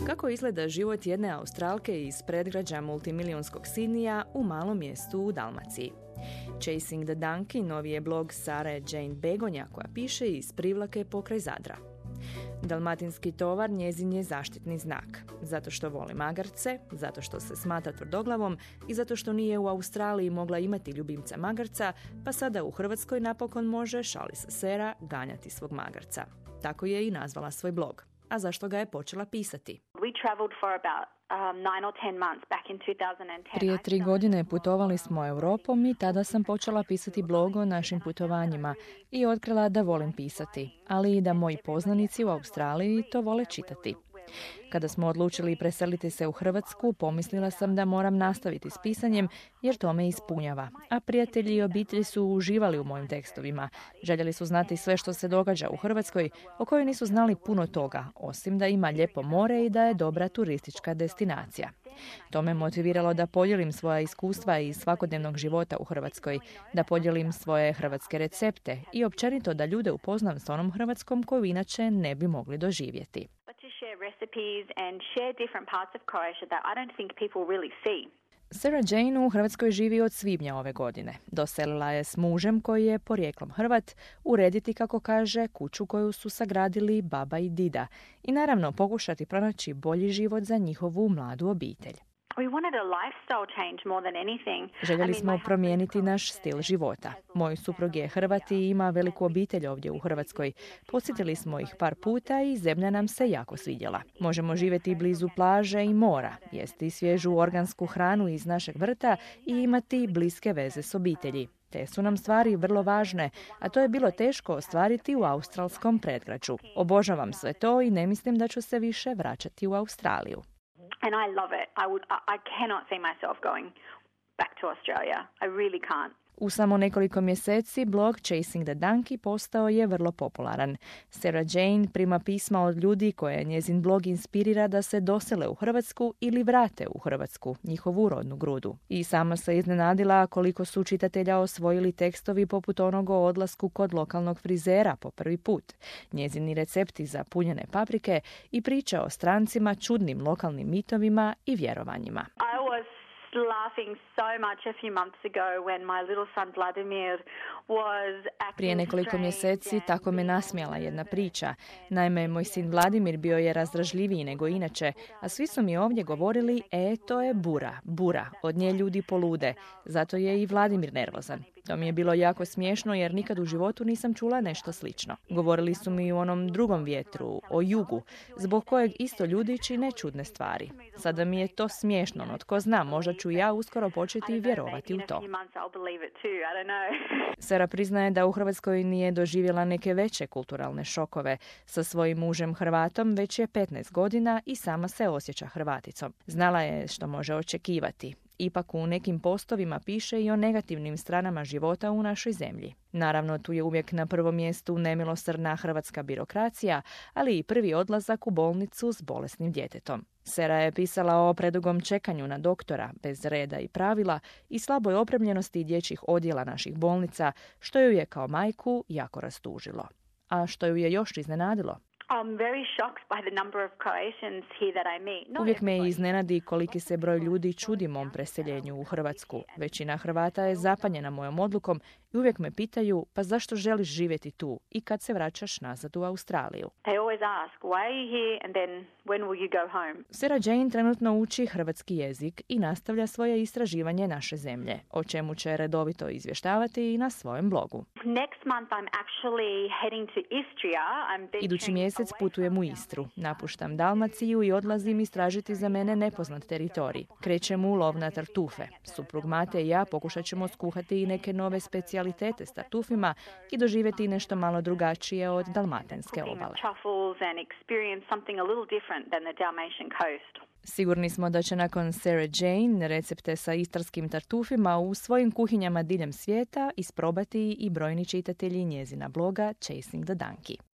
Kako izgleda život jedne Australke iz predgrađa multimilijunskog Sidnija u malom mjestu u Dalmaciji? Chasing the Donkey novi je blog Sare Jane Begonja koja piše iz Privlake pokraj Zadra. Dalmatinski tovar njezin je zaštitni znak, zato što voli magarce, zato što se smatra tvrdoglavom i zato što nije u Australiji mogla imati ljubimca magarca, pa sada u Hrvatskoj napokon može, šali se Sera, ganjati svog magarca. Tako je i nazvala svoj blog. A zašto ga je počela pisati? Prije 3 godine putovali smo Europom i tada sam počela pisati blog o našim putovanjima i otkrila da volim pisati, ali i da moji poznanici u Australiji to vole čitati. Kada smo odlučili preseliti se u Hrvatsku, pomislila sam da moram nastaviti s pisanjem jer to me ispunjava. A prijatelji i obitelj su uživali u mojim tekstovima. Željeli su znati sve što se događa u Hrvatskoj, o kojoj nisu znali puno toga, osim da ima lijepo more i da je dobra turistička destinacija. To me motiviralo da podijelim svoja iskustva iz svakodnevnog života u Hrvatskoj, da podijelim svoje hrvatske recepte i općenito da ljude upoznam s onom Hrvatskom koju inače ne bi mogli doživjeti. Sarah Jane u Hrvatskoj živi od svibnja ove godine. Doselila je s mužem koji je porijeklom Hrvat urediti, kako kaže, kuću koju su sagradili baba i dida i naravno pokušati pronaći bolji život za njihovu mladu obitelj. Željeli smo promijeniti naš stil života. Moj suprug je Hrvat i ima veliku obitelj ovdje u Hrvatskoj. Posjetili smo ih par puta i zemlja nam se jako svidjela. Možemo živjeti blizu plaže i mora, jesti svježu organsku hranu iz našeg vrta i imati bliske veze s obitelji. Te su nam stvari vrlo važne, a to je bilo teško ostvariti u australskom predgrađu. Obožavam sve to i ne mislim da ću se više vraćati u Australiju. And I love it. I cannot see myself going back to Australia. I really can't. U samo nekoliko mjeseci blog Chasing the Donkey postao je vrlo popularan. Sarah Jane prima pisma od ljudi koje njezin blog inspirira da se dosele u Hrvatsku ili vrate u Hrvatsku, njihovu rodnu grudu. I sama se iznenadila koliko su čitatelja osvojili tekstovi poput onog o odlasku kod lokalnog frizera po prvi put, njezini recepti za punjene paprike i priče o strancima, čudnim lokalnim mitovima i vjerovanjima. Prije nekoliko mjeseci tako me nasmijala jedna priča. Naime, moj sin Vladimir bio je razdražljiviji nego inače, a svi su mi ovdje govorili, to je bura, od nje ljudi polude, zato je i Vladimir nervozan. To mi je bilo jako smiješno jer nikad u životu nisam čula nešto slično. Govorili su mi o onom drugom vjetru, o jugu, zbog kojeg isto ljudi čine čudne stvari. Sada mi je to smiješno, no tko zna, možda ću ja uskoro početi vjerovati u to. Sarah priznaje da u Hrvatskoj nije doživjela neke veće kulturalne šokove. Sa svojim mužem Hrvatom već je 15 godina i sama se osjeća Hrvaticom. Znala je što može očekivati. Ipak u nekim postovima piše i o negativnim stranama života u našoj zemlji. Naravno, tu je uvijek na prvom mjestu nemilosrdna hrvatska birokracija, ali i prvi odlazak u bolnicu s bolesnim djetetom. Sarah je pisala o predugom čekanju na doktora, bez reda i pravila i slaboj opremljenosti dječjih odjela naših bolnica, što ju je kao majku jako rastužilo. A što ju je još iznenadilo? Uvijek me iznenadi koliki se broj ljudi čudi mom preseljenju u Hrvatsku. Većina Hrvata je zapanjena mojom odlukom i uvijek me pitaju, pa zašto želiš živjeti tu i kad se vraćaš nazad u Australiju? Sarah Jane trenutno uči hrvatski jezik i nastavlja svoje istraživanje naše zemlje, o čemu će redovito izvještavati i na svojem blogu. Idući mjesec putujem u Istru, napuštam Dalmaciju i odlazim istražiti za mene nepoznat teritorij. Krećem u lov na tartufe. Suprug Mate i ja pokušat ćemo skuhati i neke nove specijalitete s tartufima i doživjeti nešto malo drugačije od dalmatinske obale. Sigurni smo da će nakon Sarah Jane recepte sa istarskim tartufima u svojim kuhinjama diljem svijeta isprobati i brojni čitatelji njezina bloga Chasing the Donkey.